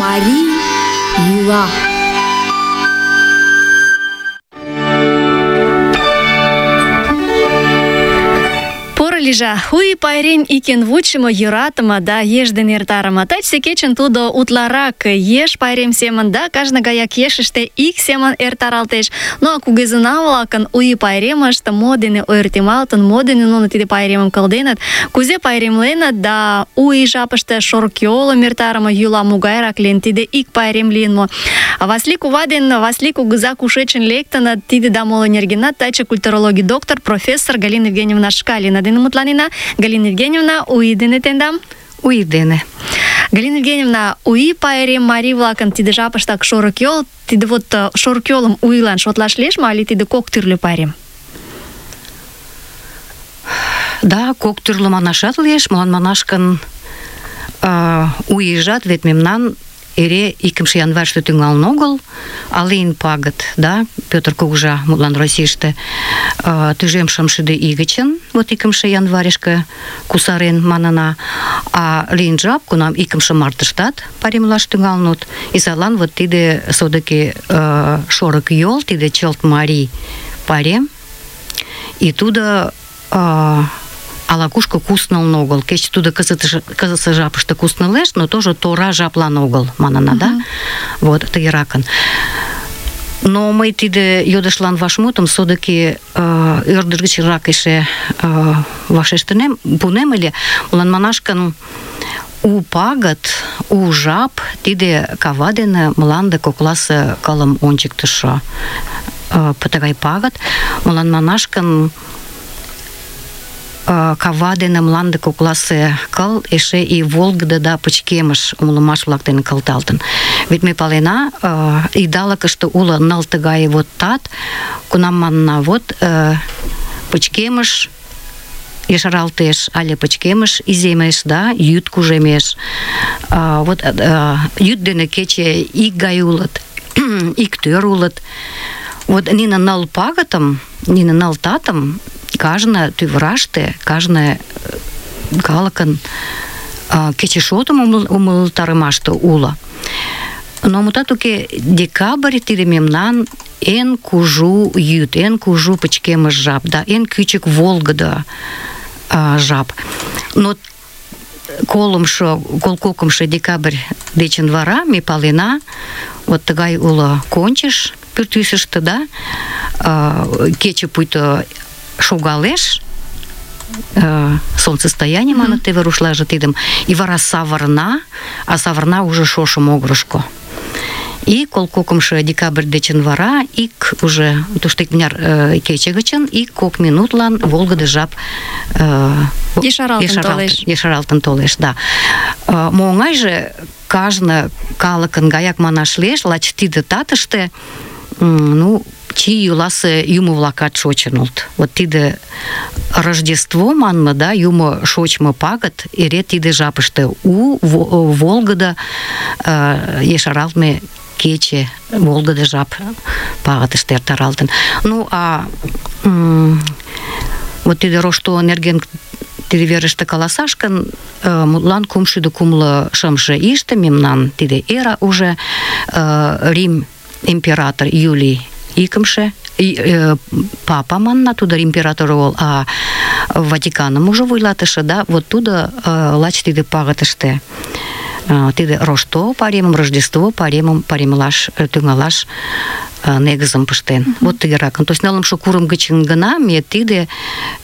Марий йӱла. Лижа, хуй пайрем икен вучымо, йӧратыме да еш дене эртарыме. Тачсе кечын тудо утларак еш пайрем семын да кажне гаяк ешыште ик семын эртаралтеш. Ну а кугезына-влакын у ий пайремышт мо дене ойыртемалтын, мо дене нуно тиде пайремым кылденыт, кузе пайремленыт да у ий жапыште шорыкйолым эртарыме йӱла могайрак лийын, тиде ик пайрем лийын мо. Васлий кува ден Васлий кугыза кушечын лектыныт, тиде да моло нергенат таче культурологий доктор профессор Галина Евгеньевна Шкалина дене мутланена. Галина Евгеньевна, у ий дене тендам? У ий дене. Галина Евгеньевна, у ий пайрем марий-влакын тиде жапыштак шорыкйол, тиде вот шорыкйолым у ийлан шотлаш лиеш мо, але тиде кок тӱрлӧ пайрем? Да, кок тӱрлӧ манашат лиеш, молан манаш гын, у ийжат вет мемнан эре 2 январьыште тӱҥалын огыл, а лийын пагыт, да, Петр кугыжа мутлан Российыште тӱжем шымшӱдӧ ий гычын, вот 2 январьышке кусарен манына, а лийын жап, кунам 2 мартыштат пайремлаш тӱҥалыныт, и садлан вот тиде содыки шорыкйол, тиде чылт марий пайрем, и тудо ала-кушко куснылын огыл. Кеч тудо кызытсе жапыште куснылеш, но тоже тора жаплан огыл, манына, да? Вот, тыгеракын. Но мый тиде йодышлан вашмутым содыки ӧрдыж гычрак эше вашештынем, пунем ыле, молан манаш гын, у пагыт, у жап, тиде кава дене мланде кокласе кылым ончыктышо тыгай пагыт, молан манаш гын, кава дене мланде кокласе кыл эше и волгыдо да пычкемыш умылымаш-влак дене кылталтын. Вет ме палена, идалыкыште уло ныл тыгай вот тат, кунам манна вот пычкемыш ешаралтеш, але пычкемыш иземеш, да, йӱд кужемеш. Вот йӱд дене кече ик гай улыт, ик тӧр улыт. Вот нине ныл пагытым, нине ныл татым кажне тӱвыраште, кажне калыкын кечешотым умылтарымаште уло. Но мутат уке, декабрь тиде мемнан эн кужу йӱд, эн кужу пычкемыш жап, да эн кӱчык волгыдо жап. Но колкокымшо декабрь дечын вара ме палена, вот тыгай уло кончыш пӱртӱсыштӧ, да, кече пуйто шогалеш, солнцестояние маныт теве рушлаже тидым, и вара савырна, а савырна уже шошо могырышко. И колкокымшо декабрь дечын вара ик уже тушто икмыняр кече гычын ик кок минутлан волгыдо жап ешаралтын толеш, да. Мо оҥайже кажне калыкын гаяк манаш лиеш, лач тиде татыште, ну, чий йӱласе юмо-влакат шочын улыт. Вот тиде Рождество манме, да, юмо шочмо пагыт эре тиде жапыште у волгыдо ешаралтме кече, волгыдо жап пагытыште эртаралтын. Ну, а вот тиде рошто нерген тиде верыште каласаш гын, мутлан 365 ийыште мемнан тиде эра уже Рим император Юлий икымше, папа манна, тудо император огыл, а Ватиканым уже вуйлатыше, да, вот тудо лач тиде пагытыште тиде рошто пайремым, Рождество пайремым пайремлаш тӱҥалаш негызым пыштен. Вот тыгеракын. То есть нылымше курым гычын гына ме тиде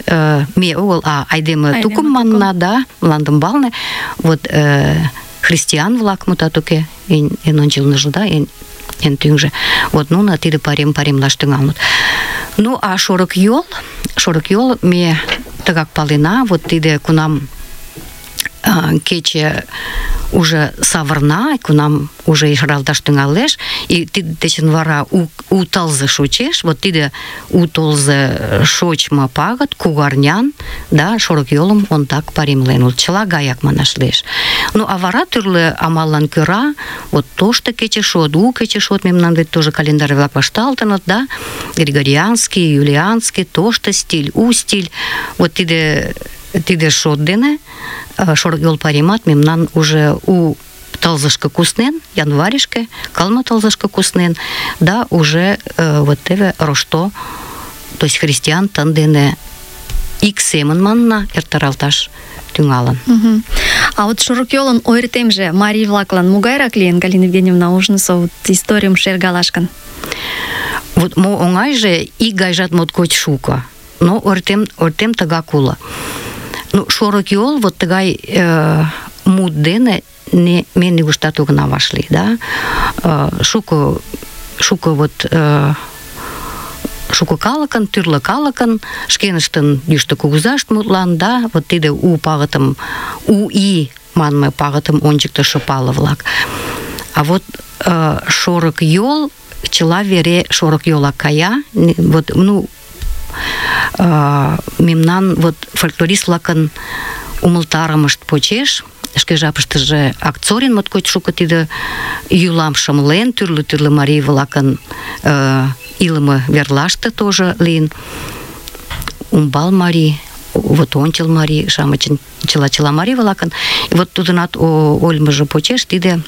ме огыл, а айдеме тукым манна, да, мландымбалне, вот христиан-влак мутат уке, эн ончылныжо, да, эн тӱҥжӧ. Вот нуно тиде пайремлаш тӱҥалыныт. Ну, а шорыкйол ме тыгак палена, вот тиде кунам кече уже савырна, кунам уже ешаралташ тӱҥалеш, и тиде дечын вара у тылзе шочеш, вот тиде у тылзе шочмо пагыт кугарнян, да, шорыкйолым ондак пайремлен улыт. Чыла гаяк манаш лиеш. Ну, а вара тӱрлӧ амаллан кӧра, вот тошто кечешот, у кечешот мемнан вет тоже календарь-влак вашталтыныт, да, григорианский, юлианский, тошто стиль, у стиль. Вот тиде шот дене шорыкйол пайремат мемнан уже у тылзышко куснен, январьышке, кылме тылзышко куснен, да уже вот теве рошто, то есть христиан тын дене ик семын манна эртаралташ тӱҥалын. А вот шорыкйолын ойыртемже марий-влаклан могайрак лийын, Галина Евгеньевна, ожнысо вот историйым шергалаш гын? Вот мо оҥайже ик гайжат моткоч шуко, но ойыртем тыгак уло. Ну, шорыкйол вот тыгай мут дене ме нигуштат огына вашлий, да? Шуко вот шуко калыкын, тӱрлӧ калыкын, шкеныштын йӱштӧ кугызашт мутлан, да, вот тиде у пагытым, у ий манме пагытым ончыктышо пале-влак. А вот шорыкйол, чыла вере шорыкйолак кая, вот, ну, мемнан вот фольклорист-влакын умылтарымышт почеш, шке жапыштыже Акцорин моткоч шуко тиде йӱлам шымлен, тӱрлӧ марий-влакын илыме верлаште тоже лийын. Умбал марий, вот ончыл марий-шамычын чыла марий-влакын. И вот тудынат ойлымыжо почеш тиде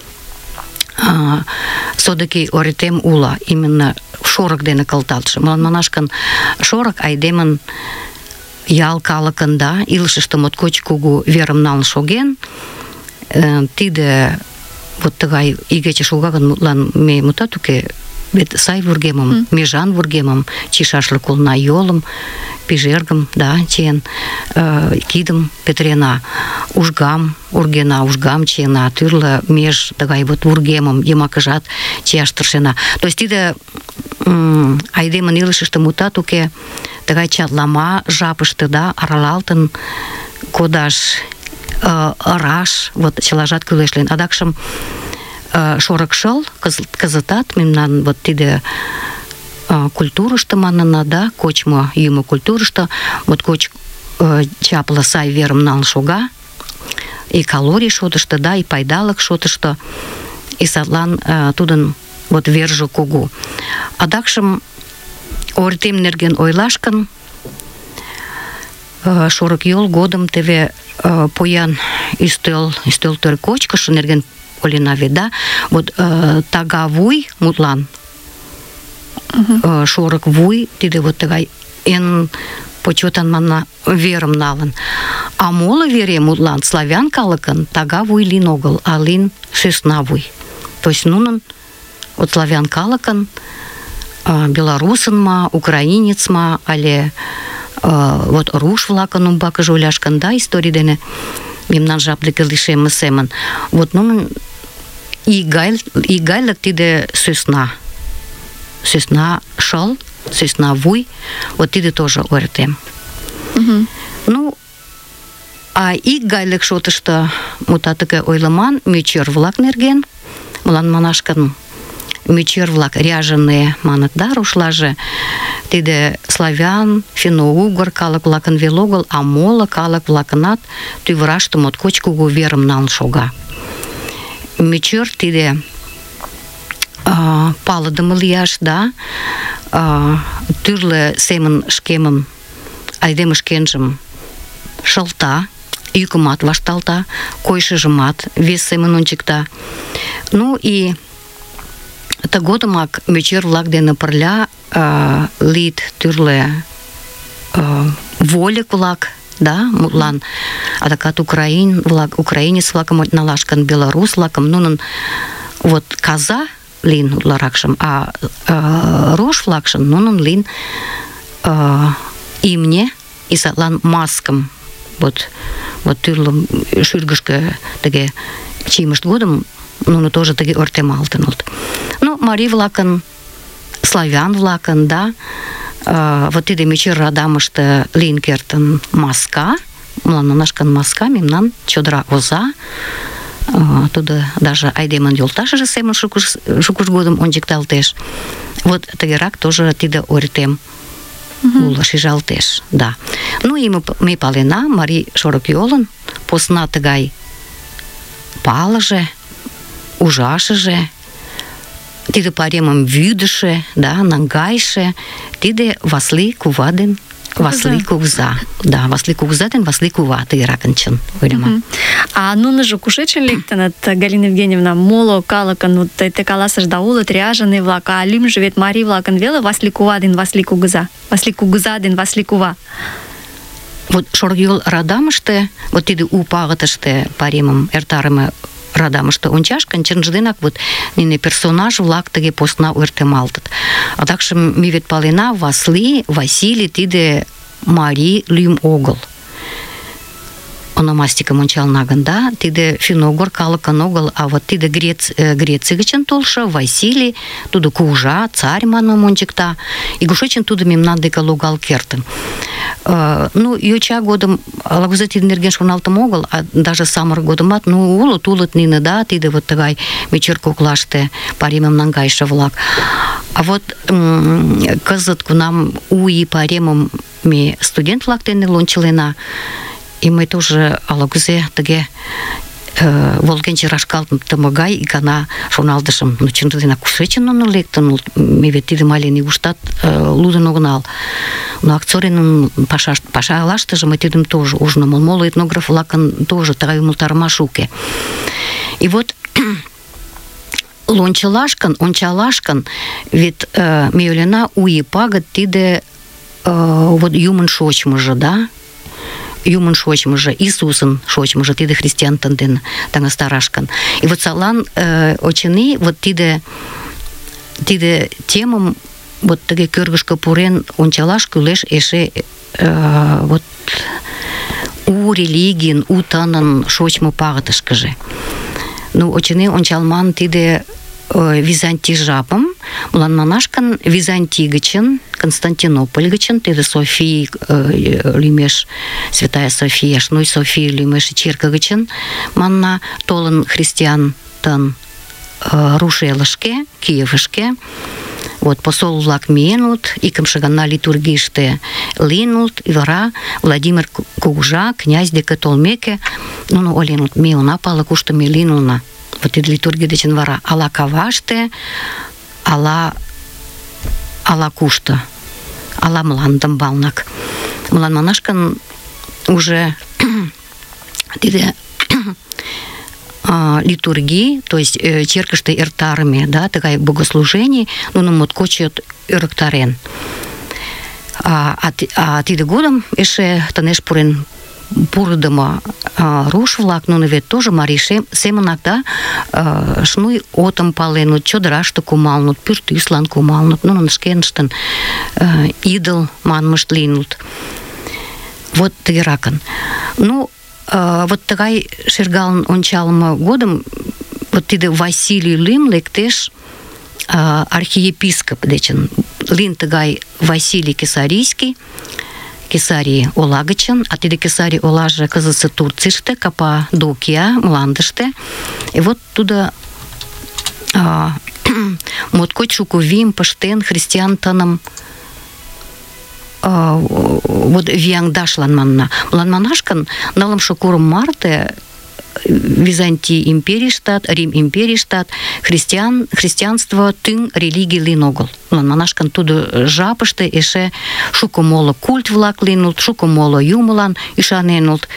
содыки ойыртем уло, именно шорык дене кылталтше. Молан манаш гын, шорык айдемын ял калыкын, да, илышыште моткоч кугу верым налын шоген. Тиде вот тыгай игече шога гын, мутлан ме мутат уке, вет сай вургемым, межан вургемым чийшашлык улына, йолым, пижергым, да, чиен, кидым петырена, ужгам ургена, ужгам чиена, тӱрлӧ меж тыгай вот вургемым йымакыжат чияш тыршена. То есть тиде айдемын илышыште мутат уке, тыгай чатлама жапыште, да, аралалтын кодаш, ыраш, вот чылажат кӱлеш лийын. Адакшым шорык шыл кызытат мемнан вот тиде культурышто манына, да, кочмо йӱмӧ культурышто моткоч чапле сай верым налын шога, и калорий шотышто, да, и пайдалык шотышто, и садлан тудын вот верже кугу. Адакшым ойыртем нерген ойлаш гын, шорыкйол годым теве поян ӱстел кочкыш нерген ойлена вет, да, вот тага вуй мутлан, шорык вуй, тиде вот тыгай эн почетан манна верым налын. А моло вере мутлан славян калыкын тага вуй лийын огыл, а лийын сӧсна вуй. То есть нунын вот славян калыкын белорусын ма, украинец ма, але вот руш-влакын умбакыже ойлаш гын, да, историй дене мемнан жап деке лишемме семын. Вот нунын игайлык тиде сӧсна шыл, сӧсна вуй, вот тиде тоже ойыртем. Ну, а игайлык шотышто мутат тыге ойлыман мӧчӧр-влак нерген, молан манаш гын, мӧчӧр-влак ряженые маныт, да, рушлаже, тиде славян, финно-угор калык-влакын вел огыл, а моло калык-влакынат тӱвыраште моткоч кугу верым налын шога. Мӧчӧр тиде палыдыме лияш, да, тӱрлӧ семын шкемым, айдеме шкенжым шылта, йӱкымат вашталта, койышыжымат вес семын ончыкта. Ну и тыгодымак мӧчӧр-влак дене пырля лийыт тӱрлӧ вольык-влак, да, мутлан адакат украинец-влакым налаш гын, белорус-влакым, нунын вот каза лийын утларакшым, а рож-влакшын нунын лийын имне, и садлан маскым вот тӱрлӧ шӱргышкӧ тыге чийымышт годым нуно тоже тыге ойыртемалтыныт. Ну, марий-влакын, славян-влакын, да, вот тиде мӧчӧр радамыште лийын кертын маска, молан манаш гын, маска мемнан чодыра оза, тудо даже айдемын йолташыже семын шукыж годым ончыкталтеш. Вот тыгерак тоже тиде ойыртем уло, шижалтеш, да. Ну и ме палена, марий шорыкйолын посна тыгай палыже, ужашыже, тиде пайремым вӱдышӧ, да, наҥгайыше, тиде Васлий кува ден Васлий кугыза. Да, Васлий кугыза ден Васлий кува тыгеракын чын ойлема. А нуныжо кушечын лектыныт, Галина Евгеньевна, моло калыкын, вот те каласышда, улыт ряженый-влак, а лӱмжӧ вет марий-влакын веле Васлий кува ден Васлий кугыза. Васлий кугыза ден Васлий кува. Вот Шорыкйол радамыште, вот тиде у пагытыште паремым эртарыме радамыште ончашкын, чынже денак вот нине персонаж-влак тыге посна ойыртемалтыт. Адакшым ме вет палена, Васлий, Василий тиде марий лӱм огыл. Ономастикым ончална гын, да, тиде финогор калыкын огыл, а вот тиде Греций гычын толшо Василий, тудо кугыжа, царь манмым ончыкта, и кушечын тудо мемнан деке логал кертын. Ну, йоча годым ала-кузе тидын нерген шоналтым огыл, а даже самырык годымат, ну, улыт нине, да, тиде вот тыгай мечер коклаште паремым наҥгайыше-влак. А вот кызыт, кунам у ий паремым ме студент-влак дене лончылена, и мый тоже ала-кузе тыге волгенче рашкалтыме гай икана шоналтышым, ну, чынже денак кушечын нуно лектын, ме вет тидым але нигуштат лудын огынал. Но Акцоринын пашалаштыже мый тидым тоже ужынам, моло этнограф-влакын тоже тыгай умылтарымаш уке. И вот ончалашкын, вет ме ойлена, у ий пагыт тиде вот юмын шочмыжо, да, юмын шочмыжо, Иисусын шочмыжо, тиде христиан дене таҥастарашкын. И вот садлан, очыни, вот тиде темым вот тыге кӧргышкӧ пурен ончалаш кӱлеш эше вот у религийын, у тынын шочмо пагытышкыже. Ну, очыни, ончалман тиде Византий жапым, мылан манашкын Византий гычын, Константинополь гычын, тиде Софий лӱмеш, Святая София, ну и София лӱмеш черке гычын, манна толын христиан тын руш элышке, Киевышке. Вот посол-влак миенут, икымше гана литургийыште лийыныт, и вара Владимир кугыжа, князь деке толмеке, нуно ойленыт, ме она пале, кушто ме лийынна. Вот тиде литургий дечын вара ала каваште, ала кушто, ала мландымбалнак. Мылан манашкын уже тиде литургии, то есть черкыште эртарыме, да, тыгай богослужений, нуно моткоч ӧрыктарен. А тиде годым эше тынеш пурен пурыдымо руш-влак, нуно вет тоже марий семынак, да, шнуй отым паленыт, чодыраште кумалыныт, пӱртӱслан кумалыныт, нунын шкеныштын идол манмышт лийыныт. Вот тыгеракын. Ну, вот тыгай шергалын ончалме годым вот тиде Василий лӱм лектеш архиепископ дечын. Лийын тыгай Василий Кесарийский, Кесарий ола гычын, а тиде Кесарий олаже кызытсе Турцийыште, Каппадокия мландыште. И вот тудо моткоч шуко вийым пыштен христиан тыным вот вияҥдашлан манна. Мылан манашкын нылымше курым марте Византий империйыштат, Рим империйыштат христианство тӱҥ религий лийын огыл. Мылан манашкын тудо жапыште эше шуко моло культ-влак лийыныт, шуко моло юмылан ӱшаненыт.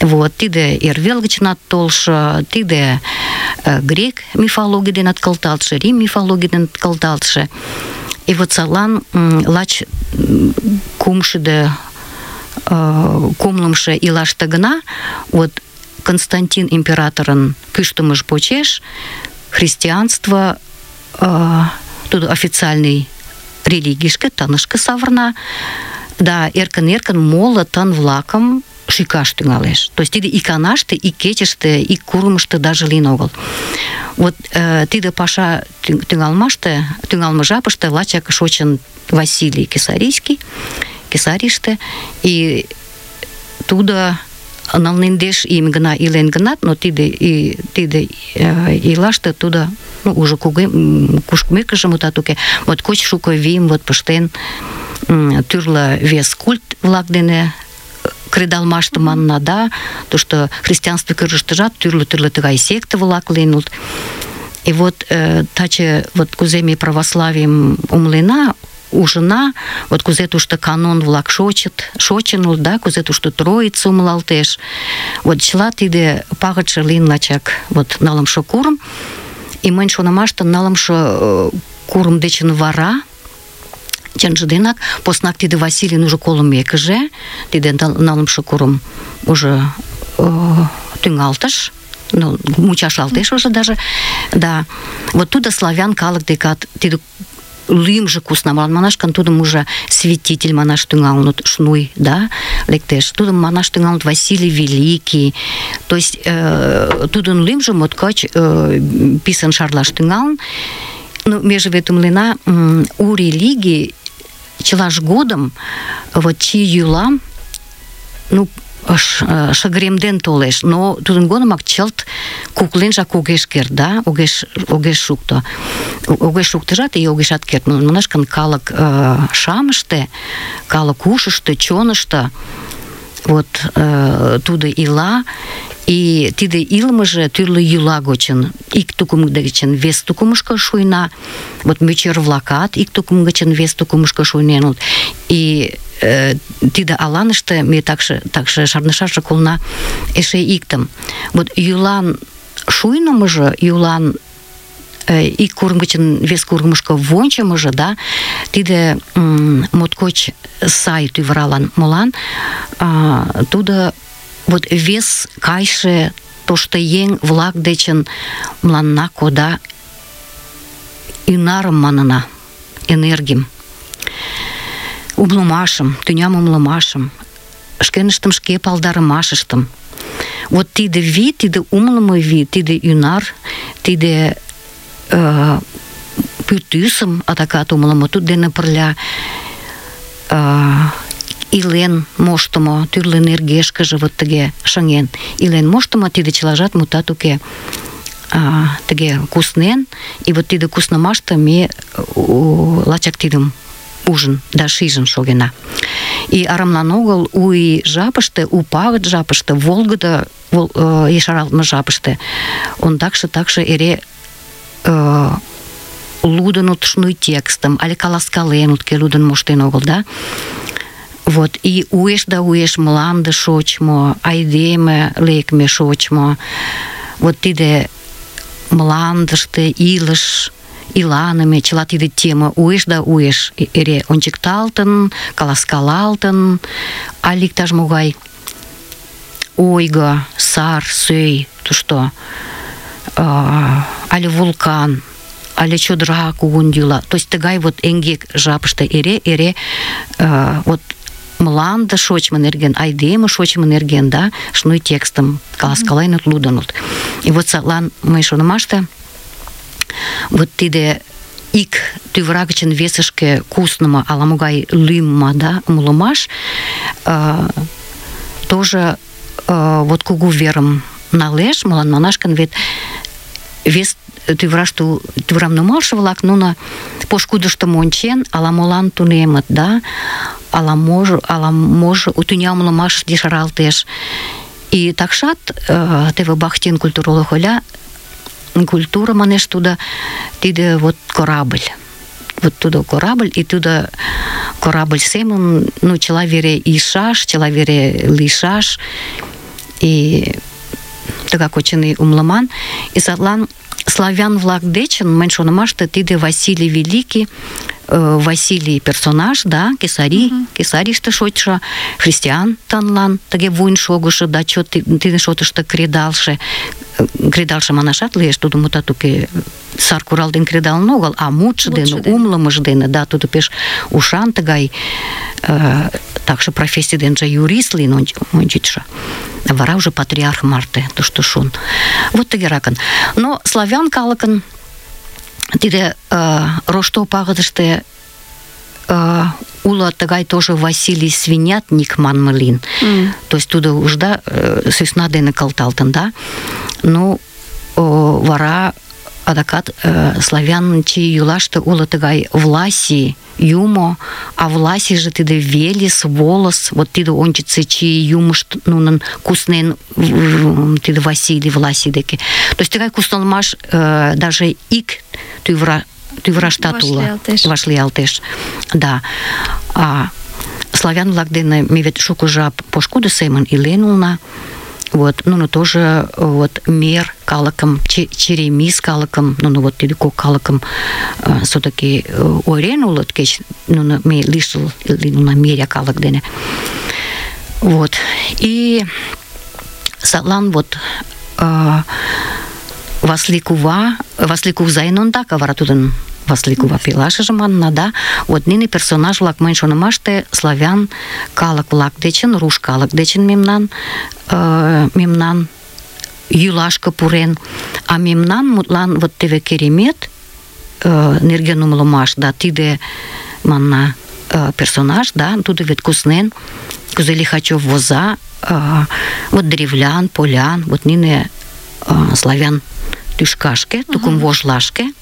Вот, тиде эрвел гычнат толшо, тиде грек мифологий денат кылталтше, Рим мифологий денат кылталтше. И вот садлан лач кумлымше ийлаште гына вот Константин императорын кӱштымыж почеш христианство тудо официальный религийышке, тынышке савырна, да эркын-эркын моло тын-влакым шӱкаш тӱҥалеш. То есть тиде иканаште, ик кечыште, ик курымышто даже лийын огыл. Вот тиде паша тӱҥалме жапыште лачак шочын Василий Кесарийский, Кесарийыште, и тудо нылнендеш ийым гына илен гынат, но тиде ийлаште тудо, ну, уже кушкмекыже, мутат уке, моткоч шуко вийым вот пыштен, тӱрлӧ вес культ-влак дене кредалмаште манна, да, тушто христианство кӧргыштыжат тӱрлӧ тыгай секте-влак лийыныт. И вот таче вот кузе ме православийым умылена, ужына, вот кузе тушто канон-влак шочын улыт, да, кузе тушто Троица умылалтеш. Вот чыла тиде пагытше лийын лачак вот нылымше курым. И мыйын шонымаште нылымше курым дечын вара, чынже денак, поснак тиде Василийын уже колымекыже, тиде нылымше курым уже тӱҥалтыш, мучашлалтеш уже даже, да. Вот тудо славян калык декат тиде лӱмжӧ кусна, манаш гын, тудым уже святитель манаш тӱҥалыныт, шнуй, да, лектеш. Тудым манаш тӱҥалыныт Василий Великий. То есть тудын лӱмжӧ моткоч писын шарлаш тӱҥалын. Ну, меже вет умлена, у религий чылаж годым вот чи йӱла, ну, шыгыремден толеш, но тудын годымак чылт кукленжак огеш керт, да, огеш шукто. Огеш шуктыжат и огешат керт. Манаш гын, калык шамыште, калык ушышто, чонышто вот тудо ила, и тиде илымыже тӱрлӧ йӱла гочын, ик тукым гычын вес тукымышко шуйна, вот мӧчӧр-влакат ик тукым гычын вес тукымышко шуйненыт. И тиде аланыште ме такше шарнышашак улына эше иктым. Вот йӱлан шуйнымыжо, йӱлан ик курым гычын вес курымышко вончымыжо, да, тиде моткоч сай тӱвыралан. Молан? Тудо вот вес кайше тошто еҥ-влак дечын мыланна кода ӱнарым манына, энергим, умлымашым, тӱням умлымашым, шкеныштым шке палдарымашыштым. Вот тиде вий, тиде умлымо вий, тиде ӱнар, тиде пӱртӱсым адакат умлымо, туддене пырля илен моштымо, тӱрлӧ нергешкыже вот тыге шыҥен илен моштымо, тиде чылажат мутат уке. Тыге куснен, и вот тиде куснымаште ме лачак тидым ужын да шижын шогена. И арамлан огыл у ий жапыште, у пагыт жапыште, волгыдо ешаралтме жапыште ондакше эре лудынут шнуй текстым, але каласкаленут, кӧ лудын моштен огыл, да? Вот, и уэш да уэш мланде шочмо, айдеме лекме шочмо. Вот тиде мландыште илыш, иланыме, чыла тиде тема уэш да уэш эре ончыкталтын, каласкалалтын, але иктаж-могай ойго, сар, сӧй тушто, але вулкан, але чодыра кугун йӱла. То есть тыгай вот эҥгек жапыште эре вот мланде шочмо нерген, айдеме шочмо нерген, да, шнуй текстым каласкаленыт, лудыныт. И вот садлан мый шонымаште вот тиде ик тӱвыра гычын весышке куснымо ала-могай лӱмма, да, умылымаш тоже вот кугу верым налеш, молан манаш гын, вет вес тӱвырам нумалше-влак, нуно пошкудыштым ончен, ала-молан тунемыт, да, ала-можо тӱня умылымаш ешаралтеш. И такшат теве Бахтин культуролог ойла, культура, манеш, тудо тиде вот корабль. Вот тудо корабль, и тудо корабль семын, ну, чыла вере ийшаш, чыла вере лийшаш, и тыгак очыни умлыман. И садлан славян-влак дечын, мыйын шонымаште, тиде Василий Великий, Василий персонаж, да, Кесарийыште шочшо, христиан танлан тыге вуйын шогышо, да чот тиде шотышто кредалше манашат лиеш, тудо мутат уке сар курал ден кредалын огыл, а мутшо дене, умлымыж дене, да, тудо пеш ушан тыгай, такше профессий денже юрист лийын ончычшо. Вара уже патриарх марте тушто шун. Вот тыгеракын. Но славян калыкын тиде рошто пагытыште уло тыгай тоже Василий Свинятник манме лийын. То есть тудо ужда сӧсна дене кылталтын, да. Ну, вара адакат славян чи йӱлаште уло тыгай Власий юмо, а Власийже тиде Велес, Волос, вот тиде ончыцо чи юмышт нунын куснен тиде Василий Власий деке. То есть тыгай куснылмаш даже ик тӱвыра тӱвыраштат уло, вашлиялтеш. Да. Славян-влак дене ме вет шуко жап пошкудо семын илен улна. Вот, нуно тоже вот мер калыкым, черемис калыкым, нуно вот тиде кок калыкым все-таки ойырен улыт, кеч нуно ме лишыл лийына меря калык дене. Вот. И садлан вот Васли кувзайын ондак, а вара тудын Васли кува пелашыже манна, да, вот нине персонаж-влак мыйын шонымаште славян калык-влак дечын, руш калык дечын мемнан йӱлашке пурен, а мемнан мутлан вот теве Керемет нерген умылымаш, да, тиде манна персонаж, да, тудо вет куснен, кузе Лихачев воза, вот древлян, полян, вот нине славян тӱшкашке, тукым вожлашке.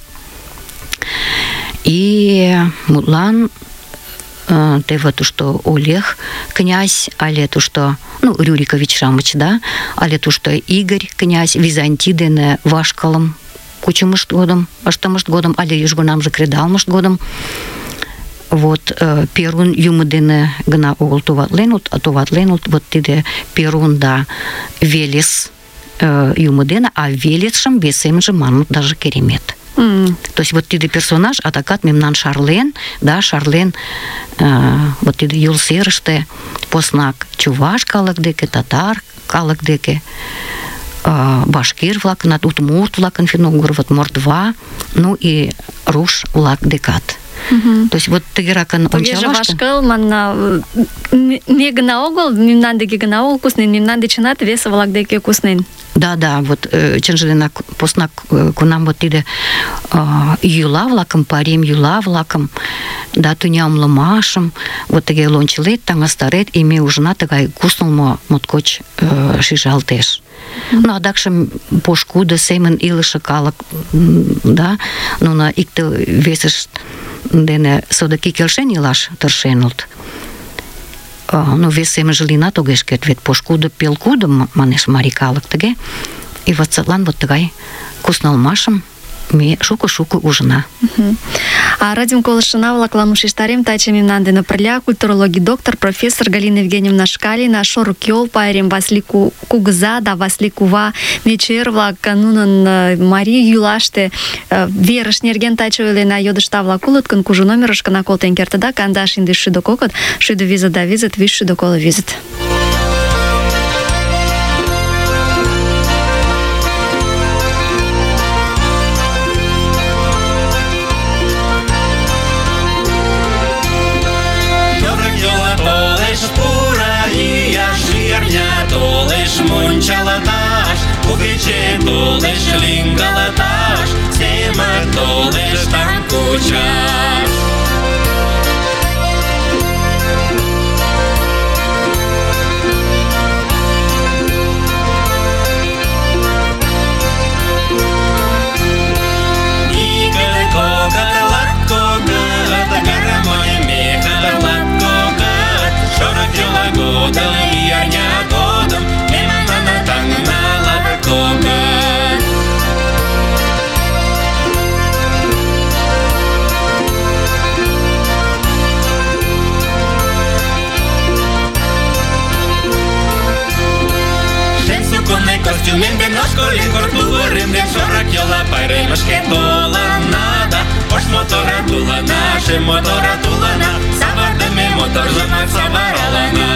И мутлан теве тушто Олег князь, але тушто, ну, Рюрикович-шамыч, да, але тушто Игорь князь Византий дене вашкалым кучымышт годым, ыштымышт годым, але южгунамже кредалмышт годым, вот Перун юмо дене гына огыл товатленут, вот тиде Перун, да, Велес юмо дене, а Велесшым вес семынже манмыт даже Керемет. То есть вот тиде персонаж адакат мемнан шарлен, да, вот тиде Юл серыште поснак чуваш калык деке, татар калык деке, башкир-влакын, удмурт-влакын, финно-угор, мордва, ну и руш-влак декат. То есть вот тыгеракын ончалаште. Вашкал манна ме гына огыл, мемнан деке гына огыл куснен, мемнан дечынат весе-влак деке куснен. Да, вот чынже денак поснак кунам вот тиде йӱла-влакым, парем йӱла-влакым, да, тӱнямлымашым, вот тыге лончылет, таҥастарет, и ме ужына тыгай куснылмо моткоч шижалтеш. Ну, адакшым пошкудо семын илыше калык, да, нуно икте весышт дене содыки келшен илаш тыршеныт. Ну, вес семынже лийынат огеш керт, вет пошкудо пелкудо манеш марий калык тыге. И вот садлан вот тыгай куснылмашым ме шуко-шуко ужына. А радиом колышына-влаклан ушештарем таче мемнан дене пырля культурологий доктор, профессор Галина Евгеньевна Шкалина, шорык йол пайрем Васли кугыза да Васли кува мечер-влак нунын марий йӱлаште верыш нерген таче ойлена, йодышта-влак улыт гын, кужу номерышкына колтен кертыда, 15-50 50 да 50. Мунчалаташ, кугиче толеш лингалаташ, семер толеш там кучаш. Игель когат, лат когат, гармой мехар лат когат, шорок йола годом, ярня годом, костюмен ден ножколин кортуворим ден шорак йола пайремышке толанада. Ош мотора тулана, шем мотора тулана, савардыме моторжымак саваралана.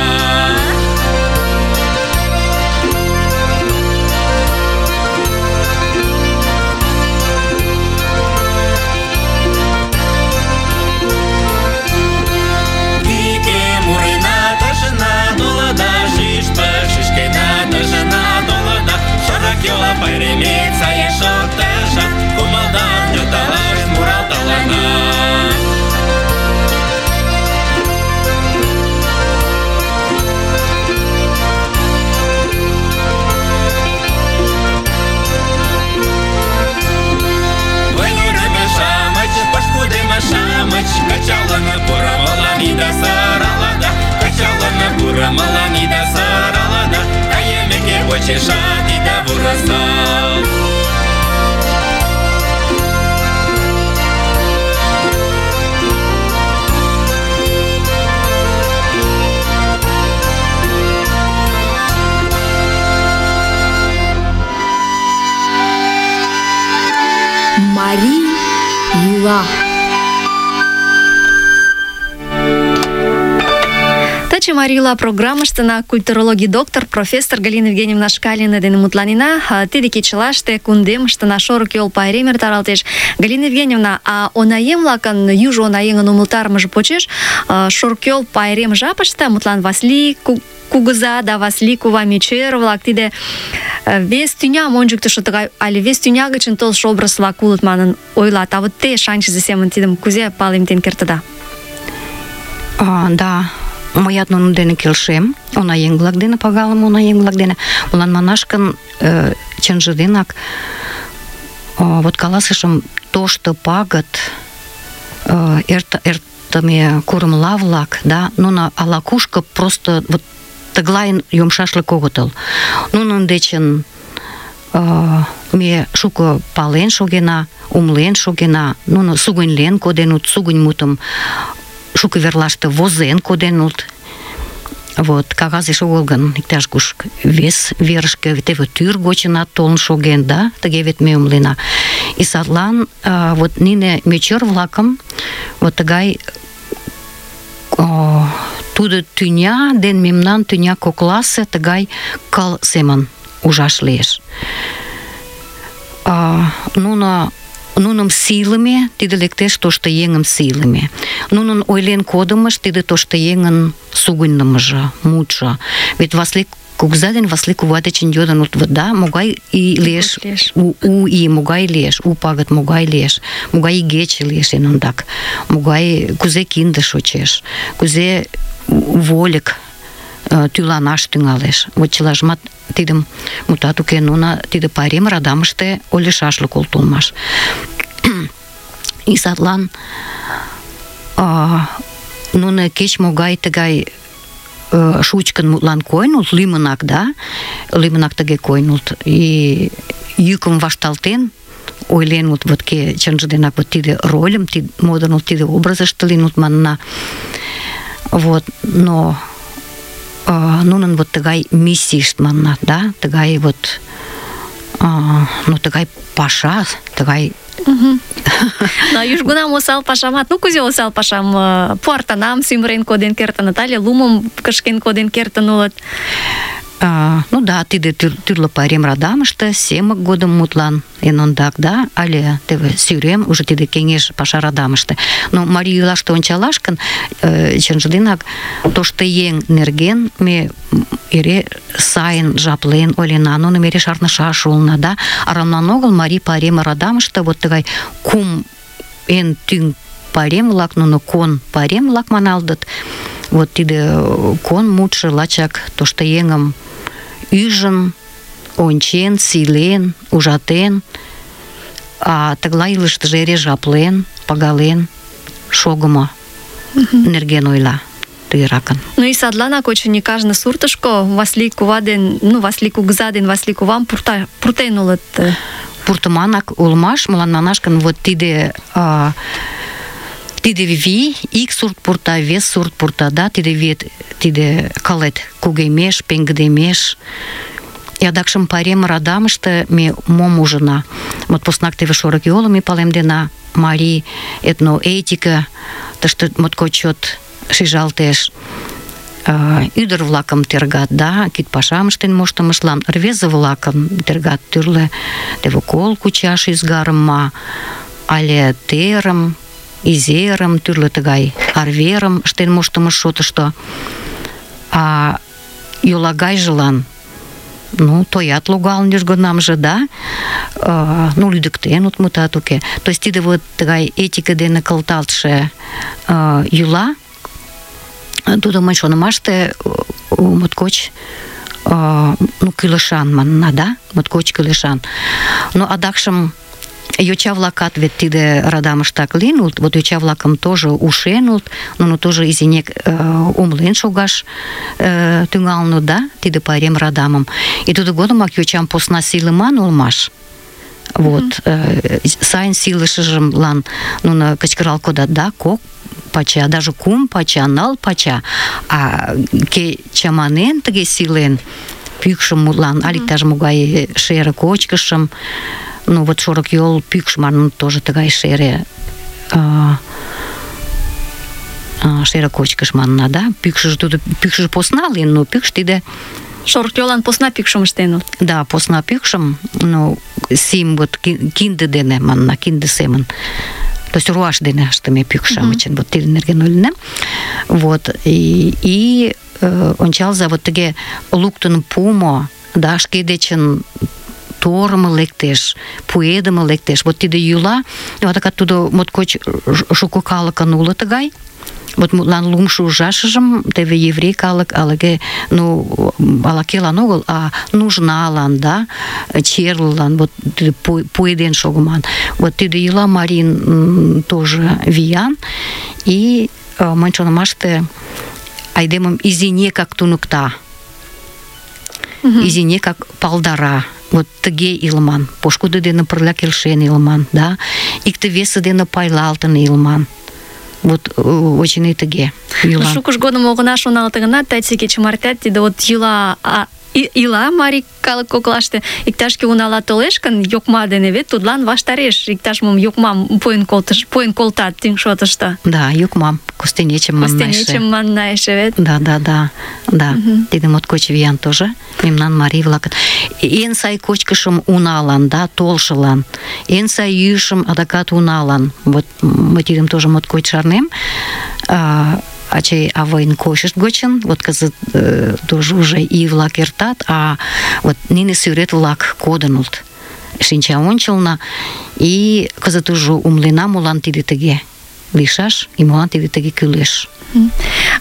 Дике мурина ташына долада, шишпа шишкена ташына долада, шорак йола пайремет сае шорташа, кумалдан йоталаш муралталана. Шамыч, качалана пура маламида саралада, качалана пура маламида саралада, каемеке бочеша дида бураса. Марий йӱла. Таче Марийла программыштына культурологий доктор профессор Галина Евгеньевна Шкалина дене мутланена. Тиде кечылаште кундемыштына шорык йол пайрем эртаралтеш. Галина Евгеньевна, а онаем-влакын южо онаеҥын умылтарымыже почеш шорык йол пайрем жапыште, мутлан Васлий кугыза да Васлий кува мечер-влак тиде вес тӱням ончыктышо тыгай але вес тӱня гычын толшо образ-влак улыт манын ойлат. А вот те шанчызе семын тидым кузе палемден кертыда? Да. Мыят нунын дене келшем, онаеҥ-влак дене, пагалыме онаеҥ-влак дене. Молан манаш гын, чынже денак, вот каласышым, тошто пагыт, эртыме курымла-влак, да, нуно ала-кушко просто вот тыглайын йомшашлык огытыл. Нунын дечын ме шуко пален шогена, умлен шогена, нуно сугыньлен коденут, сугынь мутым шуко верлаште возен коденут. Вот, кагазеш огыл гын, иктаж-куш вес верышке, теве тӱр гочынат толын шоген, да, тыге вет ме умлена. И садлан вот нине мечер-влакым вот тыгай тудо тӱня ден мемнан тӱня кокласе тыгай кыл семын ужаш лиеш. Нуным сийлыме, тиде лектеш тошто еҥым сийлыме. Нунын ойлен кодымыш, тиде тошто еҥын сугыньнымыжо, мутшо. Вет Васлий кугыза ден Васлий кува дечын йодын, да, могай ий лиеш, у ий могай лиеш, у пагыт могай лиеш, могай игече лиеш эн ондак, могай, кузе кинде шочеш, кузе вольык тӱланаш тӱҥалеш. Вот чылажымат тидым, мутат уке, нуно тиде пайрем радамыште ойлышашлык улмаш. И садлан нуно кеч-могай тыгай шучкын мутлан койнулт, лӱмынак, да, лӱмынак тыге койнулт, и йӱкым вашталтен ойленут, вот ке чынже денак вот тиде рольым модынут, тиде образыште лийнут манна. Вот, но нунын вот тыгай миссийышт манна, да, тыгай вот ну тыгай паша, тыгай Но южгунам осал пашамат, ну кузе осал пашам пуартанам сӱмырен коден кертыныт але лумым кышкен коден кертын улыт. Ну да, тиде тӱрлӧ пайрем радамыште семык годым мутлан эн ондак, да, але теве сӱрем уже тиде кеҥеж паша радамыште. Но марий йӱлаште ончалаш гын, чынже денак тошто еҥ нерген ме эре сайын жаплен ойлена, нуным эре шарнышаш улына, да. Арамлан огыл марий пайрем радамыште вот тыгай кум эн тӱҥ пайрем-влак, нуно кон пайрем-влак маналдыт. Вот тиде кон мутшо лачак тошто еҥым ӱжын, ончен, сийлен, ужатен, а тыглай илыштыже эре жаплен, пагален шогымо нерген ойла тыгеракын. Ну и садланак очыни кажне суртышко Васлий кува ден, ну Васлий кугыза ден Васлий кувам пуртен улыт. Пуртыманак улмаш, молан манаш гын, вот тиде вий, ик сурт пурта, вес сурт пурта, да, тиде калет кугемеш, пеҥгыдемеш. И адакшым пайрем радамыште ме мом ужына? Вот поснак теве шорык йолым ме палемдена, марий этноэтика, тыште моткоч чот шижалтеш. Ӱдыр-влакым тергат, да, кид пашам ыштен моштымыштлан, рвезе-влакым тергат тӱрлӧ теве кол кучаш ӱзгарым ма, але терым, изерым, тӱрлӧ тыгай арверым ыштен моштымыш шотышто. А йолагайжылан, ну, тоят логалын южгунамже, да, ну, лӱдыктен, мутат уке. То есть тиде вот тыгай этика дене кылталтше йӱла, тудо мый шонымаште моткоч ну, кӱлешан манна, да, моткоч кӱлешан. Но адакшым йоча-влакат вет тиде радамыштак лийыныт, вот йоча-влакым тоже ушеныт, нуно тоже изинек умлен шогаш тӱҥалыныт, да, тиде пайрем радамым. И тудо годымак йочам посна сийлыман улмаш. Вот, сайын сийлышыжымлан нуно кычкырал кодат, да, кок пача, даже кум пача, ныл пача, а ке чаманен тыге сийлен, пӱкшым мутлан, але иктаж-могай шере кочкышым, ну вот шорык йол пӱкш манын тоже тыгай шере шере кочкыш манна, да? Пӱкшыжӧ посна лийын, но пӱкш тиде Шорык йолан посна пӱкшым ыштен улыт. Да, посна пӱкшым, ну, сим вот кинде дене манна, кинде семын. То есть руаш дене ыштыме пӱкш-шамычын, вот тидын нерген ойлынем. Вот, и ончалза, вот тыге луктын пуымо, да, шке дечын торымо лектеш, пуэдыме лектеш. Вот тиде йӱла, вот тудо моткоч шуко калыкын уло тыгай. Вот мутлан лумшо ужашыжым теве еврей калык алыге, ну, ала-кӧлан огыл, а нужналан, да, черлылан, вот пуэден шогыман. Вот тиде йӱла марийын тоже виян, и мыйын шонымаште айдемым изинекак туныкта, изинекак палдара. Вот тыге илыман, пошкудо дене пырля келшен илыман, да, икте-весе дене пайлалтын илыман. Вот очыни тыге йӱла. Шукыж годым огына шоналте гынат, таче кече мартеат тиде вот ила марий калык коклаште, иктаж-кӧ унала толеш гын, йокма дене вет тудлан ваштареш иктаж-мом йокмам пуэн колтат тӱҥ шотышто. Да, йокмам, костенечым манна эше. Костенечым манна эше вет. Да. Тиде моткоч виян тоже мемнан марий-влакын. Эн сай кочкышым уналан, да, толшылан, эн сай йӱышым адакат уналан. Вот мый тидым тоже моткоч шарнем. Ачый-авайын кочышт гочын, вот кызыт тоже уже ий-влак эртат, а вот нине сӱрет-влак кодын улыт шинча ончылно, и кызыт уже умлена, молан тиде тыге лийшаш, и молан тиде тыге кӱлеш.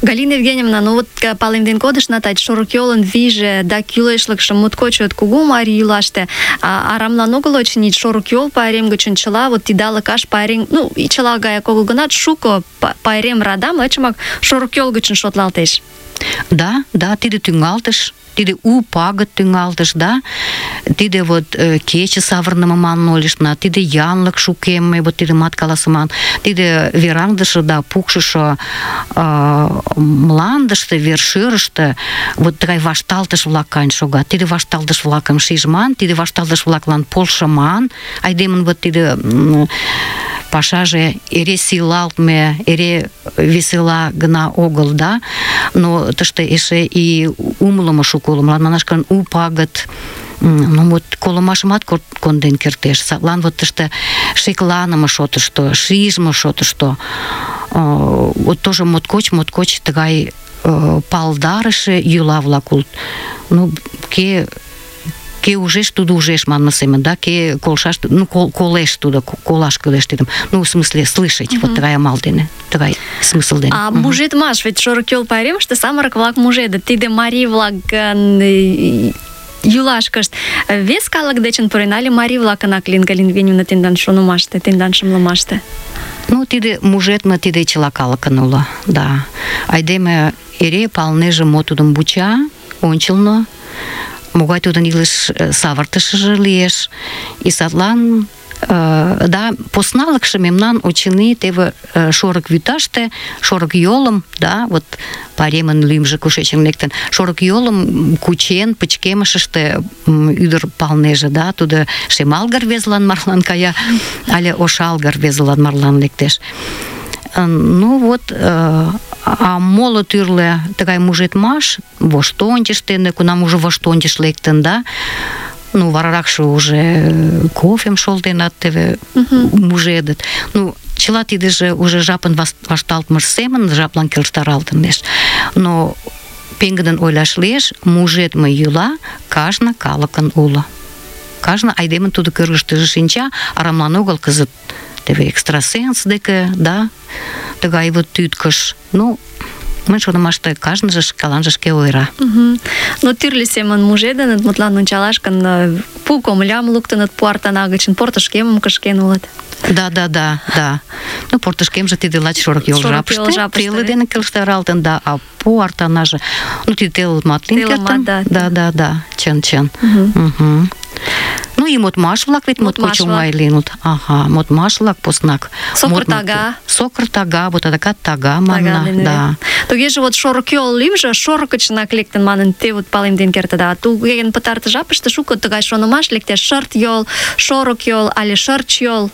Галина Евгеньевна, ну вот палемден кодышна, тать шорык йолын вийже да кӱлешлыкшым моткоч чот кугу марий йӱлаште, арамлан огыл очыни шорык йол пайрем гычын чыла вот идалыкаш пайрем, ну и чыла гаяк огыл гынат, шуко пайрем радам лачымак шорык йол гычын шотлалтеш. Да, тиде тӱҥалтыш, тиде у пагыт тӱҥалтыш, да, тиде вот кече савырныме манын ойлыштна, тиде янлык шукемме, вот тидымат каласыман, тиде вераҥдыше да пукшышо мландыште, вершӧрыштӧ вот тыгай вашталтыш-влак каен шогат. Тиде вашталтыш-влакым шижман, тиде вашталтыш-влаклан полшыман, айдемын вот тиде пашаже эре сийлалтме, эре весела гына огыл, да, но тыште эше и умылымо шуко уло. Мылам манаш гын, у пагыт, ну вот колымашымат конден кертеш. Садлан вот тыште шекланыме шотышто, шижме шотышто, вот тоже моткоч тыгай палдарыше йӱла-влак улыт. Ну, ке ужеш, тудо ужеш манме семын, да, ке колшаш, ну, колеш тудо, колаш кӱлеш тидым. Ну, в смысле, слышать, вот тыгай амал дене, тыгай смысл дене. А мужедмаш, ведь шорык йол пайремыште самырык-влак мужедыт. Тиде марий-влакын йӱлашкышт вес калык дечын пурен, але марий-влакынак лийын, Галина Евгеньевна, тендан шонымаште, тендан шымлымаште? Ну, тиде мужедме, тиде чыла калыкын уло, да. Айдеме эре палнеже, мо тудым вуча, ончылно, могай тудын илыш савыртышыжо лиеш, и садлан да, посналыкше мемнан очыни теве шорык вӱташте, шорык йолым, да, вот пайремын лӱмжӧ кушечын лектын, шорык йолым кучен, пычкемышыште ӱдыр палнеже, да, тудо шемалге рвезылан марлан кая, але ошалге рвезылан марлан лектеш. Ну вот, а моло тӱрлӧ тыгай мужедмаш, воштончыш дене, кунам уже воштончыш лектын, да, ну, вараракше уже кофем шолтенат, теве мужедыт. Ну, чыла тидыже уже жапын вашталтмыж семын, жаплан келыштаралтынеш. Но пеҥгыдын ойлаш лиеш, мужедме йӱла кажне калыкын уло. Кажне айдемын тудо кӧргыштыжӧ шинча, арамлан огыл кызыт теве экстрасенс деке, да, тыгай вот тӱткыш. Ну, мыйын шонымаште кажныже шкаланже шке ойыра. Но тӱрлӧ семын мужедыныт, мутлан ончалаш гын, пу комылям луктыныт пу артана гычын, портышкемым кышкен улыт. Да. Ну, портышкемже тиде лач шорык йол жапыште, теле дене келыштаралтын, да, а пу артанаже. Ну, тиде телымат лийын кертын. Да, чын. Ну, и модмаш-влак вет моткоч оҥай лийыныт. Ага, модмаш-влак поснак. Сокыр тага. Сокыр тага, вот адакат тага манна, да. Тугеже вот шорыкйол лӱмжӧ шорык гычынак лектын манын, те вот палемден кертыда. Тугеген пытартыш жапыште шуко тыгай шонымаш лектеш: шырт-йол, шорык-йол але шырч-йол.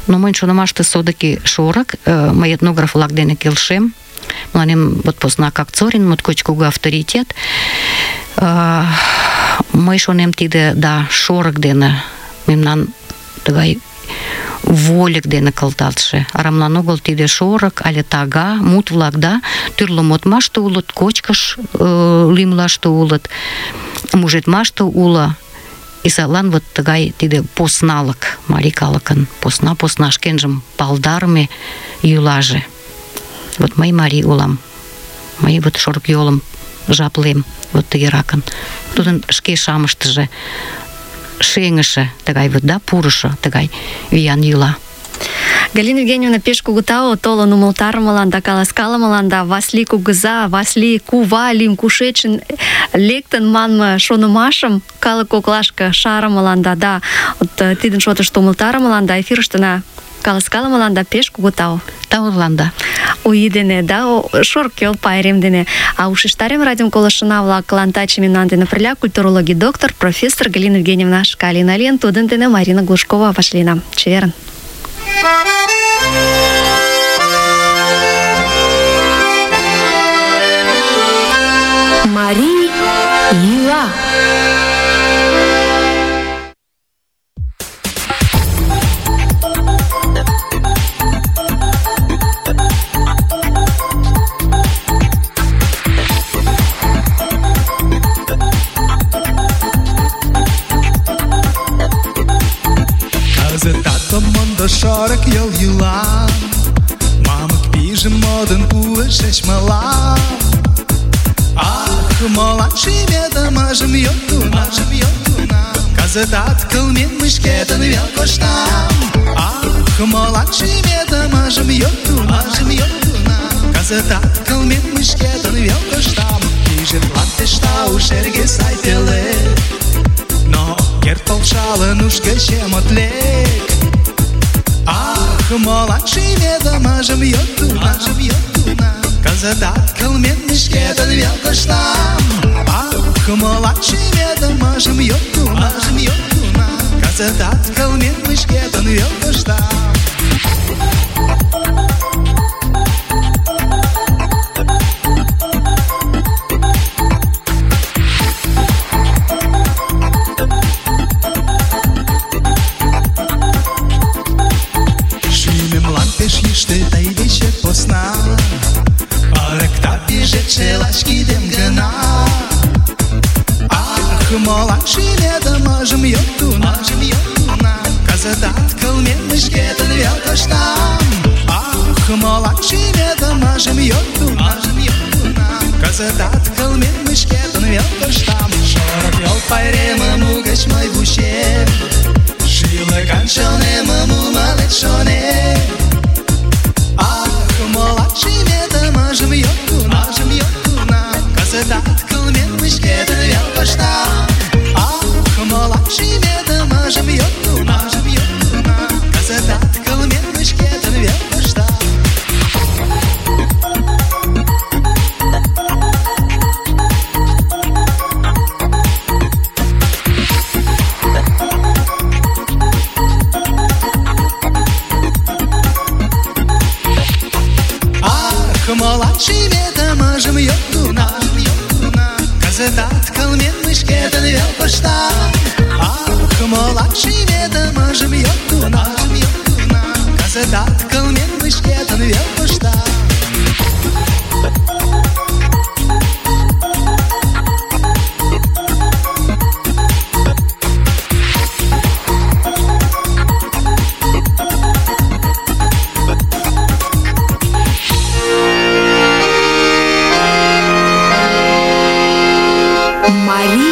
Но мыйын шонымаште содыки шорык, мый этнограф-влак дене келшем. Мыланем вот поснак Акцорин моткоч кугу авторитет. Мый шонем, тиде, да, шорык дене мемнан тыгай вольык дене кылдалтше. Арамлан огыл тиде шорык але тага, мут-влак, да, тӱрлӧ модмаште улыт, кочкыш лӱмлаште улыт, мужедмаште уло. И садлан вот тыгай тиде посналык, марий калыкын посна шкенжым палдарыме йӱлаже. Вот мый марий улам. Мый вот шорыкйолым жаплем вот тыгеракын. Тудын шке шамыштыже шеҥыше тыгай вот, да, пурышо тыгай виян йӱла. Галина Евгеньевна, пеш кугу тау толын умылтарымылан да каласкалымылан, да Васли кугыза, Васли кува лӱм кушечын лектын манме шонымашым калык коклашке шарымылан, да, вот тидын шотышто умылтарымылан да эфирыштына каласкалымылан да пеш кугу тау. Таулан, да. У ий дене, да, шорыкйол пайрем дене. А ушештарем радиом колышына-влаклан таче мемнан дене пырля культурологий доктор, профессор Галина Евгеньевна Шкалина лийын, тудын дене Марина Глушкова вашлийна. Чеверын. Марий йӱла. Шорыкйол йӱла, мамык пижым модын пуышыч мылам. Ах, молан шӱметымыжым йодтуна, кызытат кылмен мый шкетын вел коштам. Ах, молан шӱметымыжым йодтуна, кызытат кылмен мый шкетын вел коштам. Пижетлан пеш тау шерге сай пелед, но керт полшалын уш гычем от лек. Ах, молан шӱметымыжым йодтуна, кызытат кылмен мый шкетын вел коштам. Ах, молан шӱметымыжым йодтуна, кызытат кылмен мый шкетын вел коштам. Шелачкидем гына. Ах, молан шӱметымыжым йодтуна, кызытат кылмен мый шкетын вел коштам. Ах, молан шӱметымыжым йодтуна, кызытат кылмен мый шкетын вел коштам. Шорыкйол пайремым угыч мый вучем, шӱлыкан чонемым умылет шонем. Ах, молан шӱметымыжым йодтуна, кызытат кылмен мый шкетын вел коштам. Ах, молан шӱметымыжым йодтуна, кызытат кылмен мый шкетын вел коштам. Ах, молан шӱметымыжым йодтуна, кызытат кылмен мый шкетын вел коштам. Ах, молан шӱметымыжым йодтуна, кызытат кылмен мый шкетын вел коштам. Марий